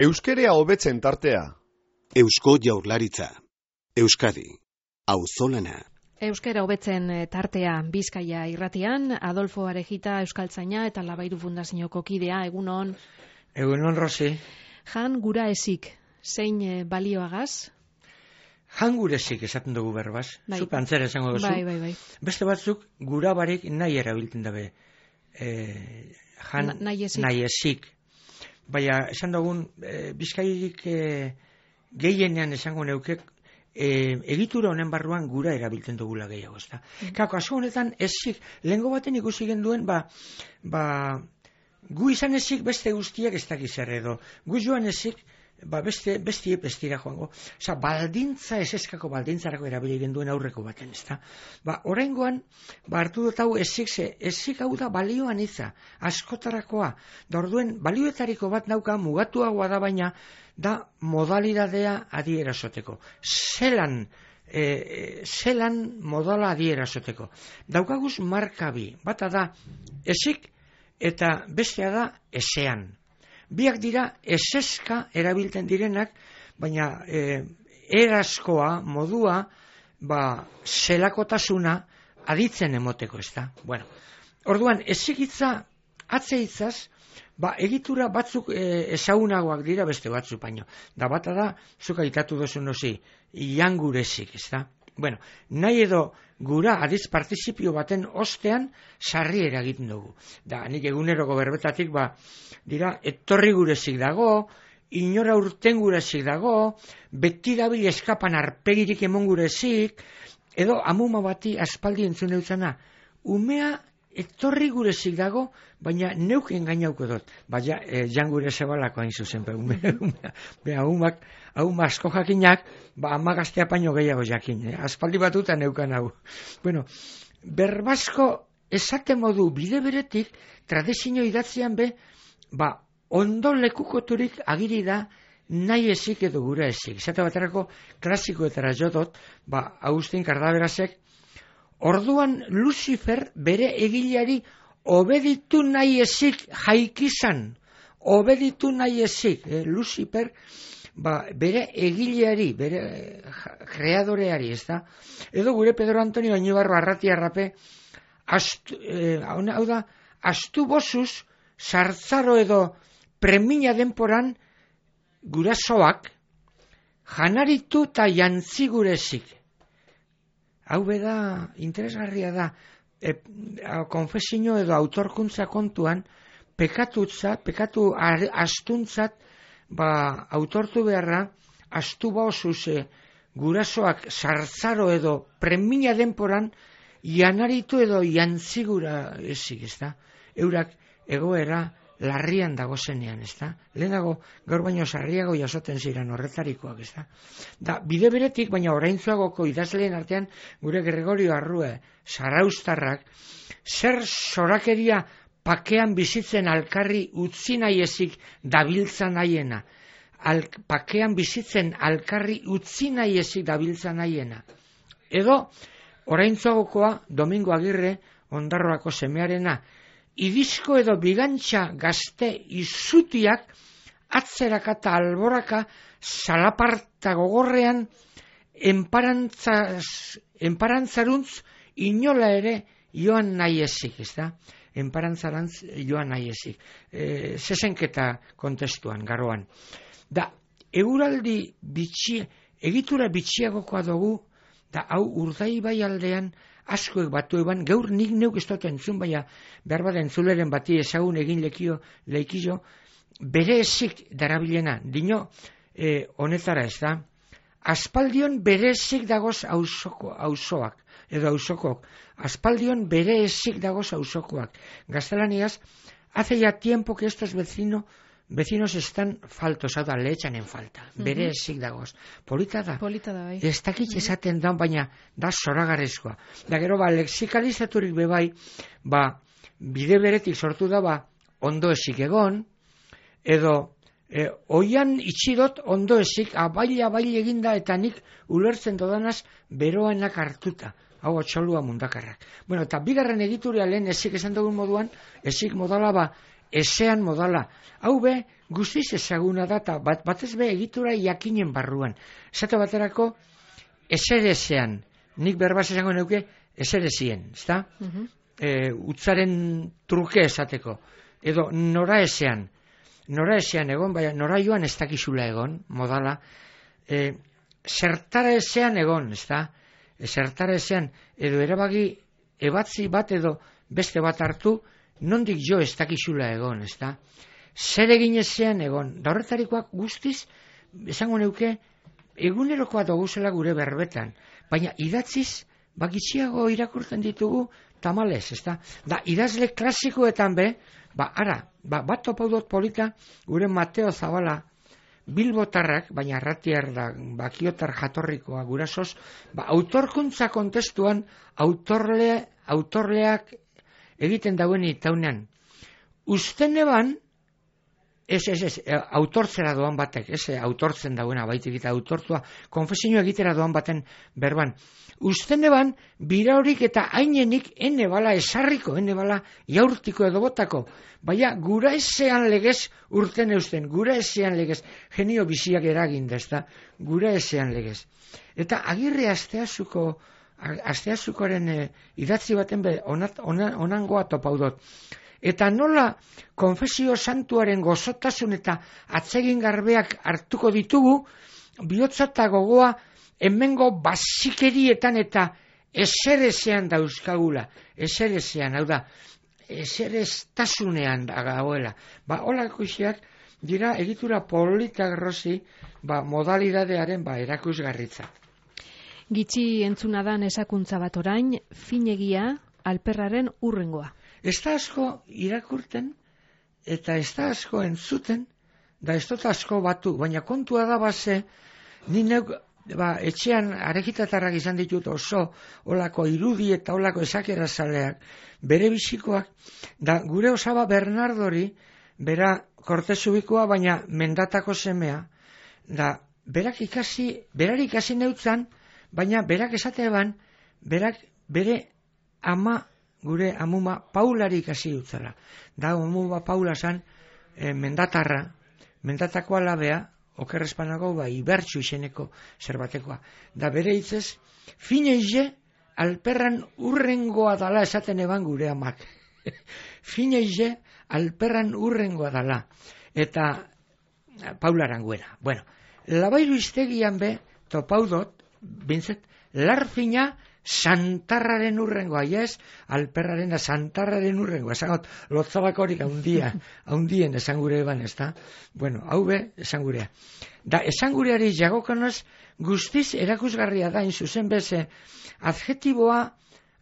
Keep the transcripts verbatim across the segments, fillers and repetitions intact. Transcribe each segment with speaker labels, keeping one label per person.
Speaker 1: Euskerea hobetzen tartea.
Speaker 2: Eusko Jaurlaritza. Euskadi. Auzolana.
Speaker 3: Euskera hobetzen tartea Bizkaia irratian, Adolfo Arejita Euskaltzaina eta Labairu Fundazioko kidea, egunon.
Speaker 4: Egunon, Rosi.
Speaker 3: Jan gura esik, zein balioagaz?
Speaker 4: Jan gure esik esaten dugu berbaz.
Speaker 3: Bai.
Speaker 4: Zupe antzera esango duzu.
Speaker 3: Bai, bai, bai.
Speaker 4: Beste batzuk gura barik nahi erabiltzen dabe. E, jan
Speaker 3: Na, nahi esik.
Speaker 4: nahi esik. Baina, esan dugun, e, Bizkairik e, gehienean esango neukek, e, egitura honen barruan gura erabiltzen dugula gehiago, ezta. Mm. Kako, aso honetan esik, lehengo baten ikusi genduen, ba, ba, gu izan esik beste guztiak ez dakiz zer edo. Gu joan esik, ba, beste, beste bestira joango. Osa, baldintza, eseskako baldintzarako erabili genduen aurreko baten, ezta. Ba, oraingoan, ba, hartu dut hau esik, ze, esik hau da balioan iza, askotarakoa. Da orduen, balioetariko bat nauka mugatuagoa da, baina, da modalidadea adierazoteko. Zelan, e, zelan modala adierazoteko. Daukaguz markabi, bata da esik eta bestea da esean. Biak dira eseska erabiltzen direnak, baina e, erazkoa, modua, ba, zelakotasuna aditzen emoteko, ez da. Bueno, orduan, esikitza atzeitzaz, ba, egitura batzuk e, ezagunagoak dira beste batzuk baino. Da bata da, zuk aitatu dozu nozi, iangurezik, ez da. Bueno, nahi edo gura adiz partizipio baten ostean sarri eragiten dugu. Da, nik eguneroko berbetatik, ba, dira, etorri gurezik dago, inora urten gurezik dago, beti dabil eskapan arpegirik emon gurezik, edo amuma bati aspaldi entzun eutzana, umea etorri gurezik dago, baina neuk engainauko dut. Baina, e, jan gure zebalako hain zuzen, be, ume, umea, be, ahumak, ahuma asko jakinak, ba, ama gaztea paino gehiago jakin, eh? Aspaldi batuta neukan hau. Bueno, berbazko esate modu bide beretik, tradizio idatzean be, ba, ondo lekukoturik agiri da, nahi esik edo gura esik. Esate baterako klasikoetara jodot, ba, Agustin Kardaberasek, orduan Lucifer bere egileari obeditu nahi esik jaikizan, obeditu nahi esik, eh, Lucifer, ba, bere egileari, bere kreadoreari, ez da? Edo gure Pedro Antonio Añibarro Arratia Arrape, astu, eh, hau da, astu bosuz, sartzaro edo premia denporan gurasoak janaritu eta jantzi gurezik. Hau beda, interesgarria da, e, konfesio edo autorkuntza kontuan, pekatutza, pekatu astuntzat, ba, autortu beharra, astu bauzuz e, gurasoak sartzaro edo premia denporan, janaritu edo jantzigura ezik, ez da? Eurak egoera larrian dago zenean, ez da? Lehenago, gaur baino sarriago jasoten ziren horretarikoak, ez da? Da, bide beretik, baina oraintzuagoko idazleen artean, gure Gregorio Arrue, Zaraustarrak, zer sorakeria pakean bizitzen alkarri utzi nahi ezik dabiltza nahiena. Al, pakean bizitzen alkarri utzi nahi ezik dabiltza nahiena. Edo, oraintzuagokoa, Domingo Agirre, Ondarroako semearena, idizko edo bigantxa gazte izutiak atzeraka eta alboraka salaparta gogorrean enparantzaruntz inola ere joan nahi ezik, ez da? Enparantzarantz joan nahi ezik. E, zezenketa kontestuan, garoan. Da, euraldi bitxi, egitura bitxiagokoa dugu, da hau Urdaibai aldean askoek batu eban, gaur nik neuk ez dut entzun, baina behar bat entzuleren bati ezagun egin lekio, leikio, bere ezik darabilena, dino e, honetara ez da, aspaldion bere ezik dagoz auzoak, edo auzokok, aspaldion bere ezik dagoz auzokoak. Gaztelaniaz, hace ya tiempo que estos vecinos Vecinos están faltos, hau da, lehetxan en falta. Bere uh-huh. esik dagoz. Polita da.
Speaker 3: Polita da, bai.
Speaker 4: Ez dakit esaten da, baina da zoragarrizkoa. Da gero, ba, lexikalizaturik bebai, ba, bide beretik sortu da, ba, ondo esik egon, edo, e, oian itxidot ondo esik, abaila, abaila eginda, eta nik ulertzen dodanaz, beroanak hartuta. Hau atxolua mundakarrak. Bueno, eta bigarren edituria lehen esik esan dugun moduan, esik modala, ba, ezean modala. Hau be, guztiz ezaguna da, eta bat, batez be egitura jakinen barruan. Esate baterako, ezerezean, nik berbaz esango neuke, ezerezien, ezta? Uh-huh. E, utzaren truke esateko. Edo nora ezean, nora ezean egon, baina nora joan ez dakizula egon, modala. E, zertara ezean egon, ezta? E, zertara ezean, edo erabagi ebatzi bat edo beste bat hartu, nondik jo ez dakizula egon, ezta? Zer egin ezean egon, da horretarikoak guztiz, esango neuke, egunerokoa doguzela gure berbetan, baina idatziz, bakitxiago irakurtzen ditugu tamalez, ezta? Da, idazle klasikoetan be, ba, ara, ba, bat topaudot polita, gure Mateo Zabala, Bilbotarrak, baina arratiar da, bakiotar jatorrikoa gurasoz, ba, autorkuntza kontestuan, autorle, autorleak egiten dauen itaunean. Usten eban, ez, ez, ez, autortzera doan batek, ez, autortzen dauena, baitik eta autortua, konfesinio egitera doan baten berban. Usten eban, bira horik eta hainenik ene bala esarriko, ene bala jaurtiko edo botako. Baina, gura ezean legez urten eusten, gura ezean legez, genio biziak eragin dezta, gura ezean legez. Eta agirre asteazuko, asteazukoren e, idatzi baten be, onat, onan, onangoa topaudot. Eta nola konfesio santuaren gozotasun eta atsegin garbeak hartuko ditugu, bihotza eta gogoa hemengo basikerietan eta eserezean dauzkagula, eserezean, hau da, esereztasunean da gauela. Ba, holako isiak dira egitura polita grozi, ba, modalidadearen ba, erakusgarritza.
Speaker 3: Gitxi entzunadan esakuntza bat orain, finegia alperraren urrengoa.
Speaker 4: Ez da asko irakurten, eta ez da asko entzuten, da ez dut asko batu, baina kontua da base, ni neuk, ba, etxean arejitatarrak izan ditut oso, olako irudi eta olako esakerazaleak, bere bizikoak, da gure osaba Bernardori, bera kortezubikoa, baina mendatako semea, da berak ikasi, berar ikasi neutzan, baina berak esatean, berak bere ama, gure amuma Paulari ikasi dutzala. Da, amuma Paula zan e, mendatarra, mendatako alabea, okerrezpanago, ba, ibertsu izeneko zerbatekoa. Da, bere hitzez, fineize, alperran urrengoa dala esaten eban gure amak. Fineize, alperran urrengoa dala. Eta, Paula aranguera. Bueno, labairu iztegian be, topaudot, bintzet, larfina, santarraren urrengoa, yes, alperraren santarraren urrengoa, esangot, lotzabakorik haundia, haundien esangure eban, ez da? Bueno, hau be, esangurea. Da, esangureari jagokonoz, guztiz erakusgarria da, inzuzen beze, adjetiboa,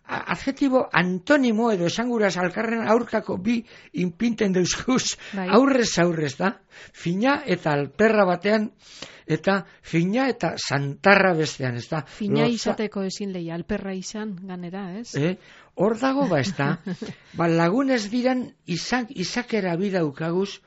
Speaker 4: adjetibo antonimo edo esanguraz alkarren aurkako bi inpinten deuzkuz, bai. Aurrez aurrez da, fina eta alperra batean, eta fina eta santarra bestean, ez da.
Speaker 3: Fina Lotza... izateko ezin leia, alperra izan, ganera, ez?
Speaker 4: Eh? Hor dago ba, ez da. Ba, lagunez diran izak, izakera bidaukaguz,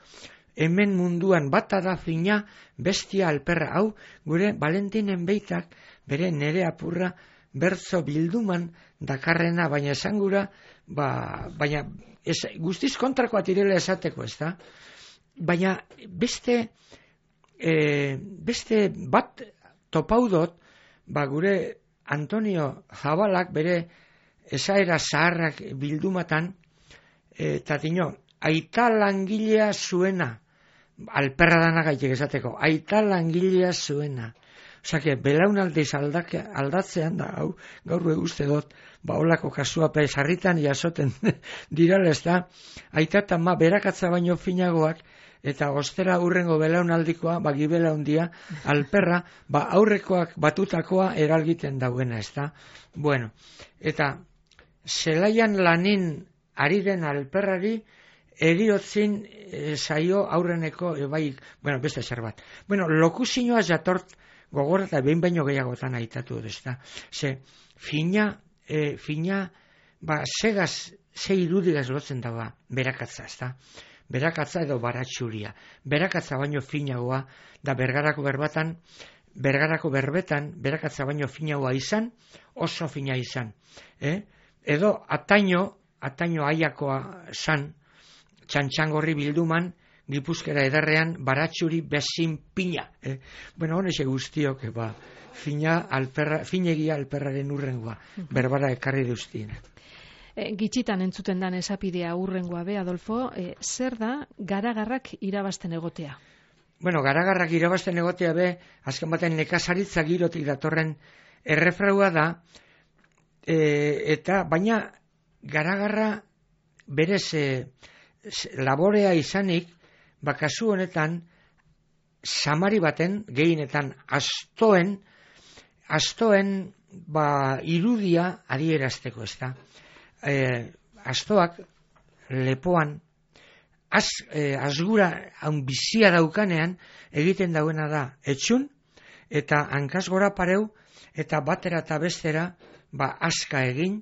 Speaker 4: hemen munduan bata da fina, bestia alperra. Hau, gure Valentinen beitak, bere nere apurra, bertzo bilduman dakarrena, baina esangura, ba, baina ez, guztiz kontrakoa tirela esateko, ez da? Baina beste, e, beste bat topaudot, ba, gure Antonio Zabalak bere esaera zaharrak bildumatan, eta dino, aita langilea zuena, alperra dana gaitek esateko, aita langilea zuena. Osake, belaunaldiz aldatzean da, hau, gaur uste dut, ba, olako kasua pe sarritan jasoten dirala, ez da, aitata ma berakatza baino finagoak, eta ostera urrengo belaunaldikoa, ba, gibelaundia, alperra, ba, aurrekoak batutakoa eralgiten dauena, ez da. Bueno, eta zelaian lanin ari den alperrari, eriotzin e, zaio aurreneko, e, bai, bueno, beste zer bat. Bueno, lokuzinoa jatort, gogorra eta behin baino gehiagotan aitatu dut, ez da. Ze, fina, e, fina, ba, segaz, ze irudigaz lotzen dagoa, berakatza, ez da. Berakatza edo baratxuria. Berakatza baino finagoa, da bergarako berbatan, bergarako berbetan, berakatza baino finagoa izan, oso fina izan. Eh? Edo, ataino, ataino aiakoa san, txantxangorri bilduman, Gipuzkera ederrean, baratxuri bezin pina. Eh? Bueno, honexe guztiok, ba, fina alperra, finegia alperraren urrengoa, berbara ekarri duztiena.
Speaker 3: E, gitxitan entzuten dan esapidea urrengoa be, Adolfo, e, zer da garagarrak irabazten egotea?
Speaker 4: Bueno, garagarrak irabazten egotea be, azken baten nekazaritza girotik datorren errefraua da, e, eta baina garagarra berez e, laborea izanik, ba, kasu honetan, samari baten, gehienetan, astoen, astoen, ba, irudia adierazteko, ez da. E, astoak, lepoan, az, e, azgura haun bizia daukanean, egiten dauena da, etxun, eta hankaz gora pareu, eta batera eta bestera, ba, aska egin,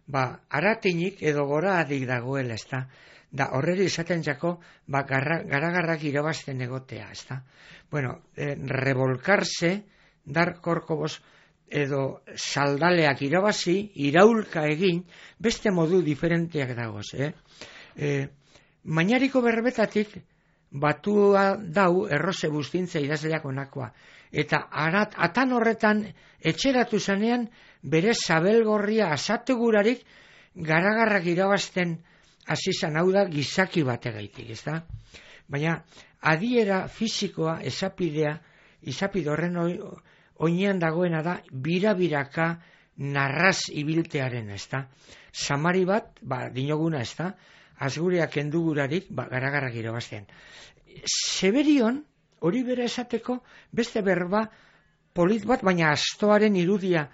Speaker 4: ba, aratinik edo gora adik dagoela, ez da. Da horreri izaten jako, ba, garagarrak irabazten egotea, ez da. Bueno, eh, revolkarse, dar korkobos, edo saldaleak irabazi, iraulka egin, beste modu diferenteak dagoz, eh? E, Mainariko berbetatik, batua dau erroze bustintza idazleak onakoa. Eta arat, atan horretan, etxeratu zanean, bere zabelgorria asategurarik, garagarrak irabazten azizan hau da gizaki bategaitik, ez da? Baina, adiera fisikoa, esapidea, izapide horren oinean dagoena da, bira-biraka narraz ibiltearen, ez da? Samari bat, ba, dinoguna, ez da? Azgureak kendugurarik, ba, garagarrak irabazten. Seberion, hori bera esateko, beste berba polit bat, baina astoaren irudia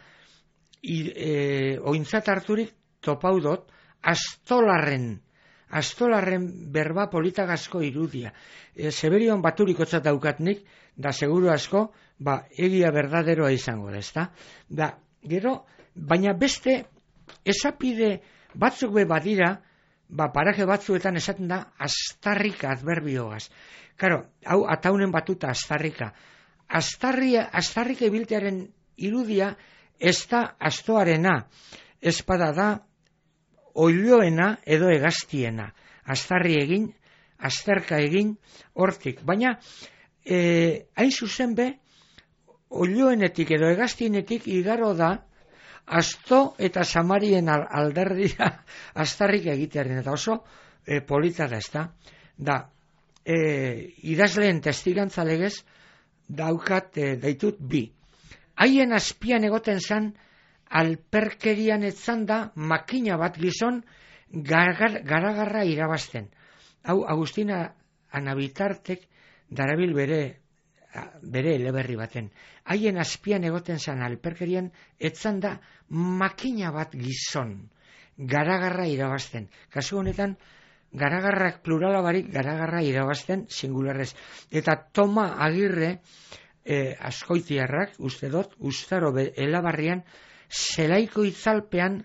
Speaker 4: e, ointzat harturik topaudot, astolarren, astolarren berba politagazko irudia. E, Seberion baturikotzat daukatnik, da seguru asko, ba, egia berdaderoa izango da, ezta? Da, gero, baina beste esapide batzuk be badira, ba, paraje batzuetan esaten da, astarrika adverbiogaz. Karo, hau, ataunen batuta astarrika. Astarria, astarrika ibiltearen irudia, ez da astoarena, espada da, oiloena edo egaztiena. Astarri egin, azterka egin, hortik. Baina, e, hain zuzen be, oiloenetik edo egaztienetik igaro da, asto eta samarien alderdia astarrik egitearen. Eta oso e, polita da, ez da. Da, e, idazleen testigantza legez, daukat e, daitut bi. Haien azpian egoten zan, alperkerian etzan da makina bat gizon garagarra gar, irabazten. Hau, Agustina Anabitartek darabil bere, bere eleberri baten. Haien azpian egoten zan alperkerian etzan da makina bat gizon garagarra irabazten. Kasu honetan, garagarrak plurala barik garagarra irabazten singularrez. Eta Toma Agirre, eh, askoitiarrak, uste dut, ustaro elabarrian, zelaiko itzalpean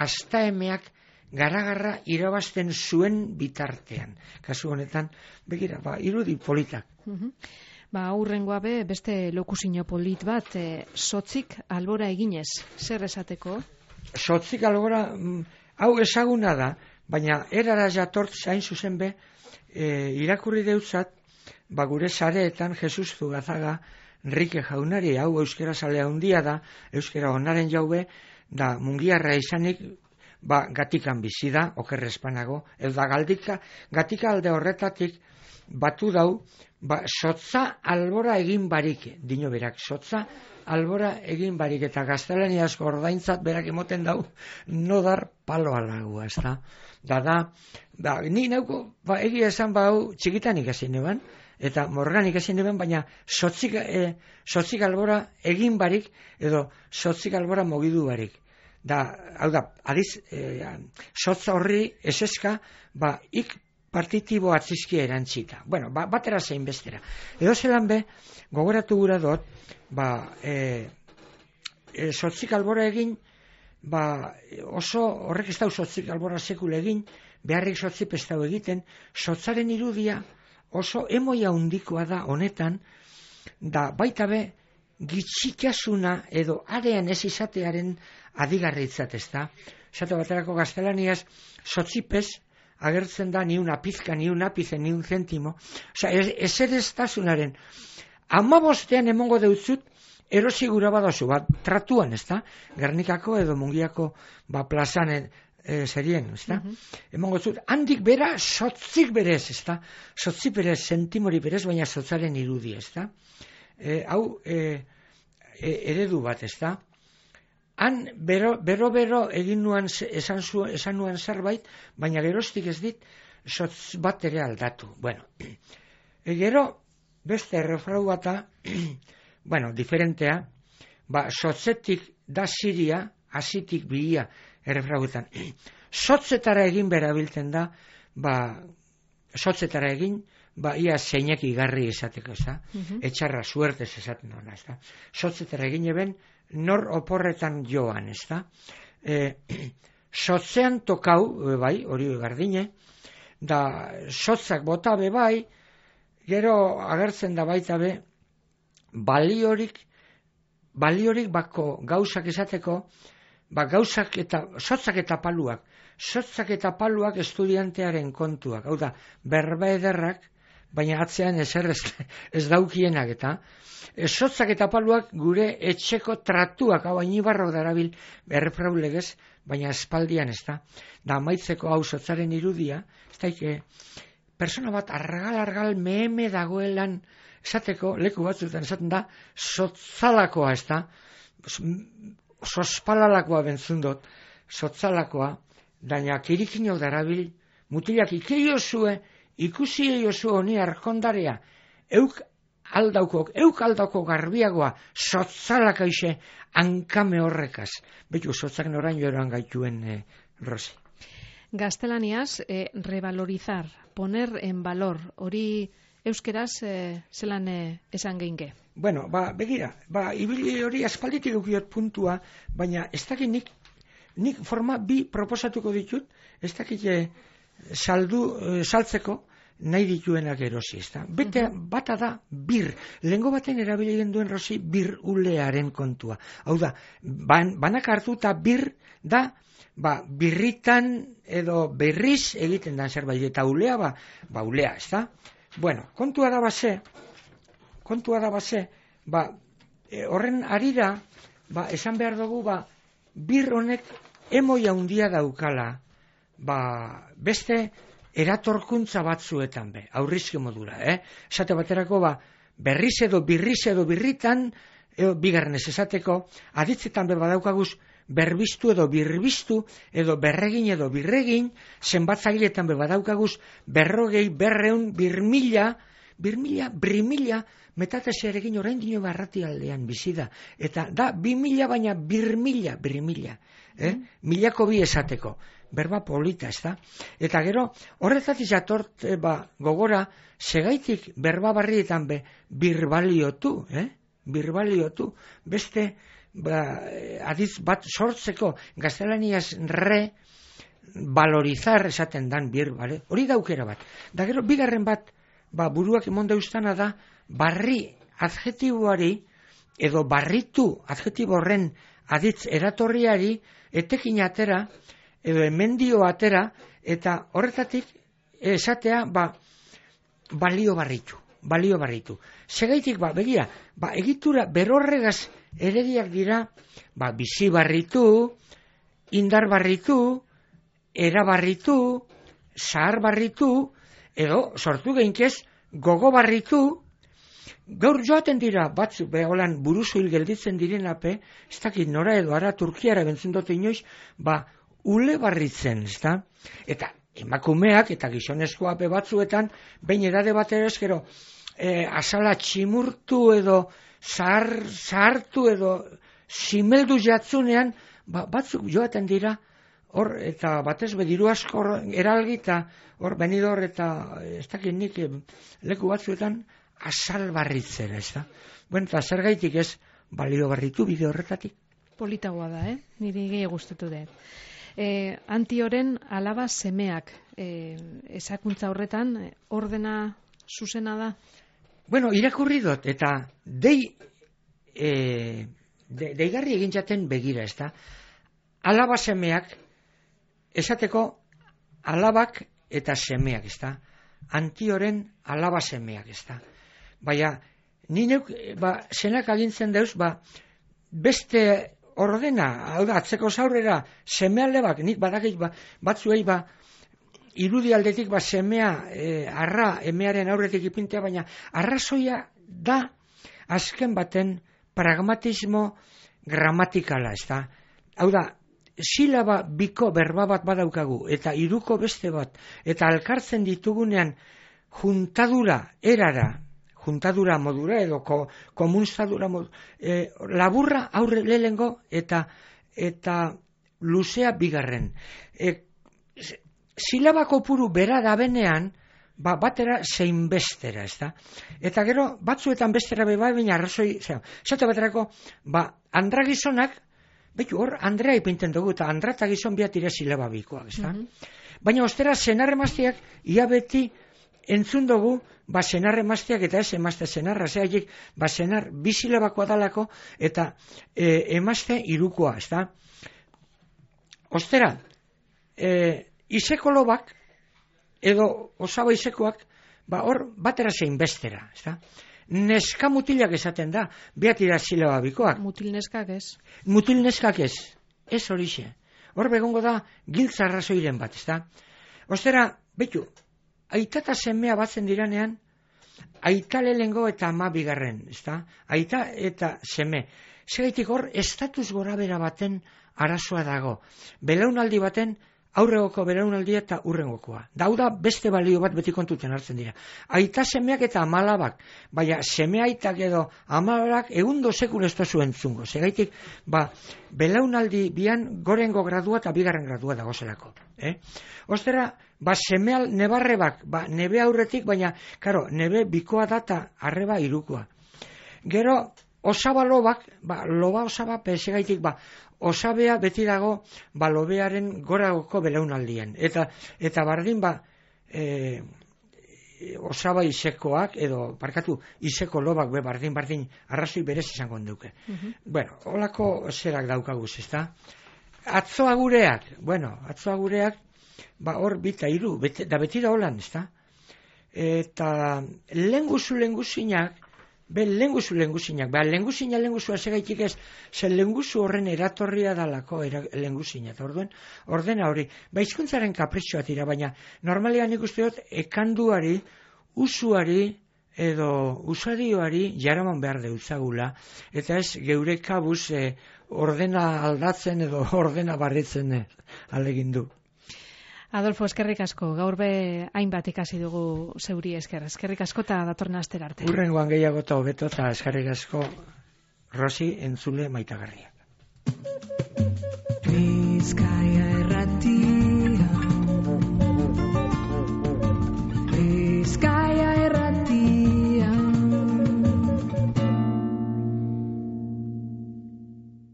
Speaker 4: astaemeak garagarra irabazten zuen bitartean. Kasu honetan, begira, ba, irudi politak.
Speaker 3: Uh-huh. Ba, aurrengoa be, beste lokusino polit bat, e, sotzik albora eginez, zer esateko?
Speaker 4: Sotzik albora, mm, hau ezaguna da, baina erara jatort zain zuzen be, e, irakurri deutzat, ba, gure sareetan Jesus Zugazaga, Enrique Jaunari, hau euskera salea handia da, euskera onaren jaube, da mungiarra izanik, ba, gatikan bizi da, okerre espanago, edo da galdika, gatika alde horretatik, batu dau, ba, sotza albora egin barik, dino berak, sotza albora egin barik, eta gaztelaniazko ordaintzat berak emoten dau, nodar palo alagua, ez da? Da, da, da, ni nauko, ba, egia esan ba, hau, txikitan ikasi neban, eta morganik ezin deben, baina sotzik, e, sotzik albora egin barik, edo sotzik albora mogidu barik. Da, hau da, adiz, e, sotza horri eseska, ba, ik partitibo atzizkia erantzita. Bueno, ba, batera zein bestera. Edo zelan be, gogoratu gura dut, ba, e, e, sotzik albora egin, ba, oso, horrek ez dau sotzik albora sekul egin, beharrik sotzip ez dau egiten, sotzaren irudia, oso emoia handikoa da honetan, da baita be, gitxikasuna edo arean ez izatearen adigarritzat, ez da. Zato baterako gaztelaniaz, sotzipez, agertzen da ni una pizka, ni un ápice, ni un céntimo. Osea, eserestasunaren hamabostean emongo deutzut erosi gura badozu, bat tratuan, ezta? Gernikako edo Mungiako ba plazan e, serien, ezta? Uh-huh. Emongo zut, handik bera sotzik berez, ezta? Sotzik berez, sentimori berez, baina sotzaren irudi, ezta? E, hau e, e, eredu bat, ezta? Han bero, bero bero egin nuan esan, zu, esan nuan zerbait, baina gerostik ez dit sotz bat ere aldatu. Bueno, e, gero beste errefrau bata, bueno, diferentea, ba, sotzetik da siria, hasitik bilia errefrauetan. Sotzetara egin berabiltzen da, ba, sotzetara egin, ba, ia zeinek igarri esateko, ez da? Uh-huh. Etxarra suertez esaten duna, ez da? Sotzetara egin eben, nor oporretan joan, ez da? E, sotzean tokau, bai, hori gardine, da sotzak bota be bai, gero agertzen da baita be, baliorik, baliorik bako gauzak esateko, ba gauzak eta, sotzak eta paluak, sotzak eta paluak estudiantearen kontuak, hau da, berba ederrak, baina atzean ezer ez, ez daukienak eta, sotzak eta paluak gure etxeko tratuak, hau hainibarro darabil errefrau legez, baina espaldian ez da, da amaitzeko hau sotzaren irudia, ez daike, persona bat argal-argal meheme dagoelan, esateko, leku batzuetan esaten da, sotzalakoa, ez da, sospalalakoa bentzundot, sotzalakoa, daina kirikinok darabil, mutilak ikeio zue, ikusi eio zu honi arkondarea, euk aldaukok, euk aldaukok garbiagoa, sotzalaka ise, hankame horrekaz. Betu, sotzak noraino eroan gaituen, eh, Rosi.
Speaker 3: Gaztelaniaz, eh, revalorizar, poner en valor, hori euskeraz eh, zelan eh, esan geinke?
Speaker 4: Bueno, ba, begira, ba, ibili hori aspalditik ukiot puntua, baina ez dakit nik, nik forma bi proposatuko ditut, ez dakit eh, saldu, eh, saltzeko nahi dituenak erosi, ez da? Bete, uh-huh. Bata da, bir. Lehengo baten erabili duen Rosi, bir ulearen kontua. Hau da, ban, banak hartu eta bir da, ba, birritan edo berriz egiten da zerbait, eta ulea, ba, ba ulea, ez da? Bueno, kontua da base, kontua da base, ba, e, horren arira, ba, esan behar dugu, ba, bir honek emoia handia daukala, ba, beste eratorkuntza batzuetan be, aurrizke modura, eh? Esate baterako, ba, berriz edo birriz edo birritan, edo bigarrenez esateko, aditzetan be badaukaguz, berbiztu edo birbiztu, edo berregin edo birregin, zenbatzailetan be badaukaguz, berrogei, berreun, birmila, birmila, brimila, metatez eregin orain dino barrati aldean bizi da. Eta da, bimila baina birmila, birmila, eh? Mm. Milako bi esateko. Berba polita, ez da? Eta gero, horretatik jatort, e, ba, gogora, segaitik berba barrietan be, birbaliotu, eh? Birbaliotu, beste, ba, adiz bat sortzeko, gaztelaniaz re, valorizar esaten dan bir, bale? Hori daukera bat. Da gero, bigarren bat, ba, buruak emonda ustana da, barri adjetiboari, edo barritu adjetibo horren aditz eratorriari, etekin atera, edo emendio atera, eta horretatik esatea, ba, balio barritu, balio barritu. Segaitik, ba, begira, ba, egitura berorregaz erediak dira, ba, bizi barritu, indar barritu, era barritu, zahar barritu, edo, sortu geinkez, gogo barritu, gaur joaten dira, batzu, beholan buruzu hil gelditzen direnape, ez dakit nora edo ara Turkiara bentzen dute inoiz, ba, ule barritzen, ez da? Eta emakumeak eta gizonezkoa be batzuetan, behin edade batera eskero, e, azala tximurtu edo zahar, zahartu edo simeldu jatzunean, ba, batzuk joaten dira, hor, eta batez bediru asko eralgi, eta hor, benidor eta ez dakit nik leku batzuetan, azal barritzen, ez da? Bueno, eta zer gaitik ez, balio barritu bide horretatik.
Speaker 3: Politagoa da, eh? Niri gehi gustatu dut. E, antioren alaba semeak e, esakuntza horretan ordena zuzena da?
Speaker 4: Bueno, irakurri dut, eta dei e, de, deigarri egin jaten begira, ez da? Alaba semeak esateko alabak eta semeak, ez da? Antioren alaba semeak, ez da? Baina, ni neuk, ba, senak agintzen deuz, ba, beste ordena, hau da, atzeko zaurrera, seme alde bak, nik badakit, ba, batzuei, ba, irudi aldetik, ba, semea, e, arra, emearen aurretik ipintea, baina, arrazoia da, azken baten, pragmatismo gramatikala, ez da? Hau da, silaba biko berba bat badaukagu, eta hiruko beste bat, eta alkartzen ditugunean juntadura erara, juntadura modura edo ko, komunstadura modura, e, laburra aurre lehengo eta eta luzea bigarren. E, silaba kopuru bera da benean, ba, batera zein bestera, ez da? Eta gero, batzuetan bestera beba, baina arrazoi, zera, zate baterako, ba, andra gizonak, betu hor, Andrea ipinten dugu, eta Andra eta gizon biat ire silaba bikoak, ez da? Mm-hmm. Baina ostera, senar emazteak, ia beti entzun dugu, ba, senar emazteak, eta ez emazte senarra, zeagik, ba, senar bizilabakoa dalako, eta e, emazte irukoa, ez da? Ostera, e, izeko lobak, edo osaba izekoak, ba, hor, batera zein bestera, ez da? Neska mutilak esaten da, behatira silaba bikoak.
Speaker 3: Mutil neskak ez.
Speaker 4: Mutil neskak ez, ez horixe. Hor begongo da giltza arrazoiren bat, ez da? Ostera, betu, aita eta semea batzen diranean, aita lehengo eta ama bigarren, ez da? Aita eta seme. Segaitik hor, estatus gorabera baten arazoa dago. Belaunaldi baten, aurregoko belaunaldia eta urrengokoa. Dauda beste balio bat beti kontuten hartzen dira. Aita semeak eta amalabak, baina seme aitak edo amalabak egundo sekun ez tozu entzungo. Segaitik, ba, belaunaldi bian gorengo gradua eta bigarren gradua dago zelako. Eh? Ostera, ba, semeal nebarrebak, ba, nebe aurretik, baina, karo, nebe bikoa data arreba irukoa. Gero, osaba lobak, ba, loba osaba, segaitik, ba, osabea beti dago ba, lobearen goragoko belaunaldien. Eta, eta bardin ba, e, osaba izekoak, edo, parkatu, izeko lobak be bardin, bardin, arrazoi berez izango duke. Uh-huh. Bueno, holako zerak daukaguz, ez da? Atzoa gureak, bueno, atzoa gureak, ba, hor bita iru, beti, da beti da holan, ez da? Eta lenguzu lenguzinak, be lenguzu lenguzinak, be lenguzina lenguzua segaitik ez, ze lenguzu horren eratorria dalako era, lenguzina, eta orduen, ordena hori, ba hizkuntzaren kapritxoa tira, baina normalean ikuste dut, ekanduari, usuari, edo usadioari jaraman behar deutzagula, eta ez geure kabuz eh, ordena aldatzen edo ordena barritzen eh, alegin du.
Speaker 3: Adolfo, eskerrik asko, gaur be hainbat ikasi dugu zeuri esker. Eskerrik asko eta datorren astera arte.
Speaker 4: Urrengoan gehiago eta hobeto eta eskerrik asko Rosi entzule maitagarriak.